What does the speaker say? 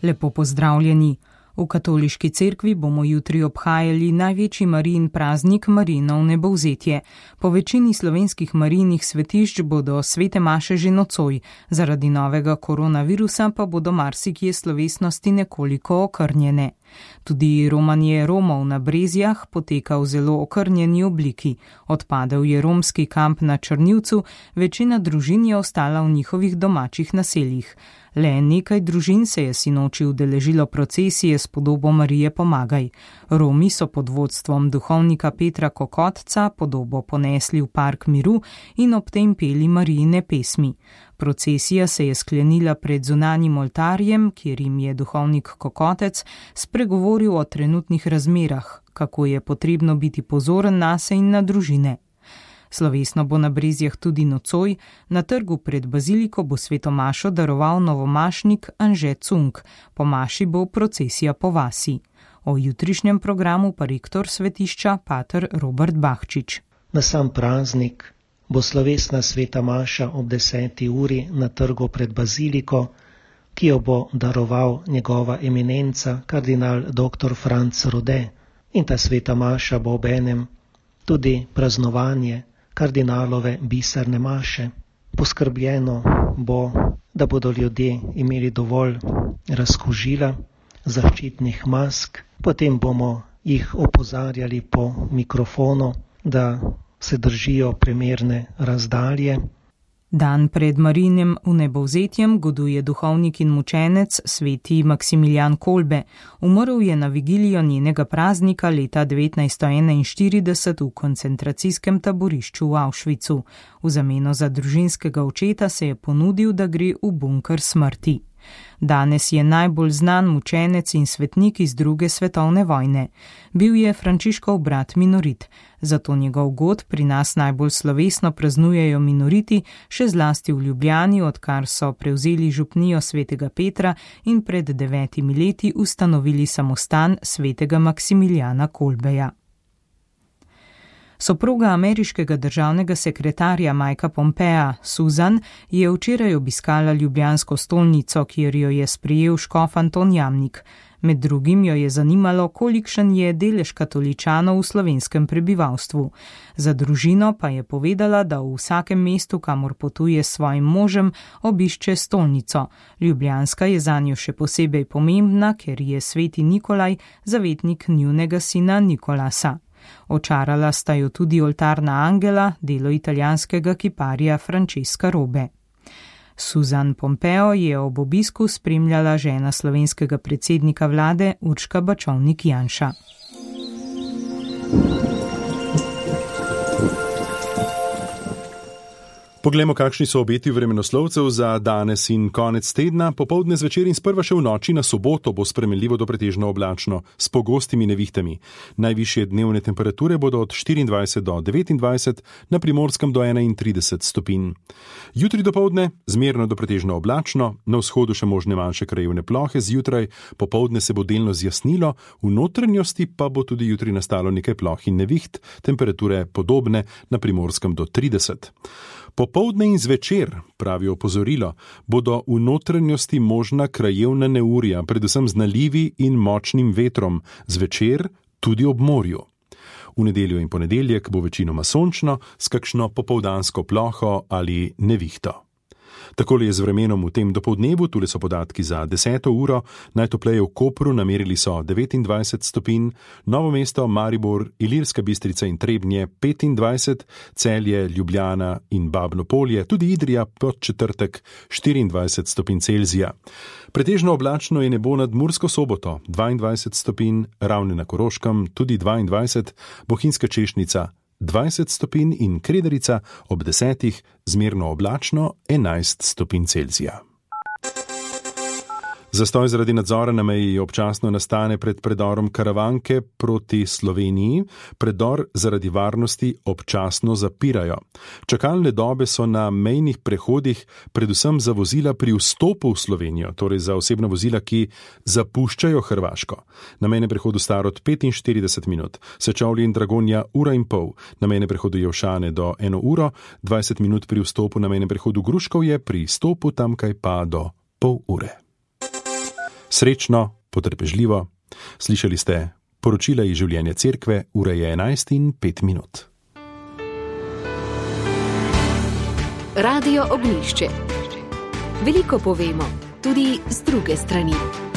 Lepo pozdravljeni. V katoliški cerkvi bomo jutri obhajali največji Marijin praznik Marijino vnebovzetje. Po večini slovenskih Marijinih svetišč bodo svete maše že nocoj, zaradi novega koronavirusa pa bodo marsikje slovesnosti nekoliko okrnjene. Tudi romanje Romov na Brezjah poteka v zelo okrnjeni obliki. Odpadel je romski kamp na Črnivcu, večina družin je ostala v njihovih domačih naseljih. Le nekaj družin se je sinoči udeležilo procesije s podobo Marije Pomagaj. Romi so pod vodstvom duhovnika Petra Kokotca podobo ponesli v park miru in ob tem peli Marijine pesmi. Procesija se je sklenila pred zunanjim oltarjem, kjer jim je duhovnik Kokotec spregovoril o trenutnih razmerah, kako je potrebno biti pozoren nase in na družine. Slovesno bo na Brezjah tudi nocoj, na trgu pred baziliko bo sveto mašo daroval novomašnik Anže Cunk, po maši bo procesija po vasi. O jutrišnjem programu pa rektor svetišča pater Robert Bahčič. Na sam praznik bo slovesna sveta maša ob 10. uri na trgu pred baziliko, ki jo bo daroval njegova eminenca kardinal dr. Franc Rode. In ta sveta maša bo obenem tudi praznovanje kardinalove biserne maše. Poskrbljeno bo, da bodo ljudje imeli dovolj razkužila, zaščitnih mask, potem bomo jih opozarjali po mikrofonu, da se držijo primerne razdalje. Dan pred Marijinim vnebovzetjem goduje duhovnik in mučenec sveti Maksimilijan Kolbe. Umrl je na vigilijo njenega praznika leta 1941 v koncentracijskem taborišču v Auschwitzu. V zameno za družinskega očeta se je ponudil, da gre v bunker smrti. Danes je najbolj znan mučenec in svetnik iz 2. svetovne vojne. Bil je Frančiškov brat minorit, zato njegov god pri nas najbolj slovesno praznujejo minoriti, še zlasti v Ljubljani, odkar so prevzeli župnijo svetega Petra in pred 9 leti ustanovili samostan svetega Maksimilijana Kolbeja. Soproga ameriškega državnega sekretarja Mikea Pompea, Susan, je včeraj obiskala ljubljansko stolnico, kjer jo je sprejel škof Anton Jamnik. Med drugim jo je zanimalo, kolikšen je delež katoličanov v slovenskem prebivalstvu. Za družino pa je povedala, da v vsakem mestu, kamor potuje s svojim možem, obišče stolnico. Ljubljanska je zanjo še posebej pomembna, ker je sveti Nikolaj zavetnik njunega sina Nikolasa. Očarala sta jo tudi oltarna angela, delo italijanskega kiparja Francesca Robe. Susan Pompeo je ob obisku spremljala žena slovenskega predsednika vlade Urška Bačovnik Janša. Poglejmo, kakšni so obeti vremenoslovcev za danes in konec tedna. Popoldne, zvečer in sprva še v noči na soboto bo spremenljivo do pretežno oblačno, s pogostimi nevihtami. Najvišje dnevne temperature bodo od 24 do 29, na Primorskem do 31 stopinj. Jutri dopoldne zmerno do pretežno oblačno, na vzhodu še možne manjše krajevne plohe, zjutraj popoldne se bo delno zjasnilo, v notranjosti pa bo tudi jutri nastalo nekaj ploh in neviht, temperature podobne, na Primorskem do 30. Popoldne in zvečer, pravi opozorilo, bodo v notranjosti možna krajevna neurja, predvsem z nalivi in močnim vetrom, zvečer tudi ob morju. V nedeljo in ponedeljek bo večinoma sončno, s kakšno popoldansko ploho ali nevihto. Takole je z vremenom v tem dopoldnevu, tule so podatki za 10. uro, najtopleje v Kopru namerili so 29 stopinj, Novo mesto, Maribor, Ilirska Bistrica in Trebnje 25, Celje, Ljubljana in Babno Polje, tudi Idrija pod četrtek 24 stopinj Celzija. Pretežno oblačno je nebo nad Mursko Soboto 22 stopinj, Ravne na Koroškem tudi 22, Bohinjska Češnica 20 stopinj in Kredarica ob 10 zmerno oblačno 11 stopinj Celzija. Zastoj zaradi nadzora na meji občasno nastane pred predorom Karavanke proti Sloveniji. Predor zaradi varnosti občasno zapirajo. Čakalne dobe so na mejnih prehodih predvsem za vozila pri vstopu v Slovenijo, torej za osebna vozila, ki zapuščajo Hrvaško. Na mejnem prehodu Starod 45 minut, Sečovlje in Dragonja 1,5 ure, na mejnem prehodu Jelšane do 1 uro, 20 minut pri vstopu na mejnem prehodu Gruškovje, pri stopu tamkaj pa do pol ure. Srečno, potrpežljivo. Slišali ste poročila iz življenja cerkve, ura je 11:05. Radio Ognjišče. Veliko povemo, tudi z druge strani.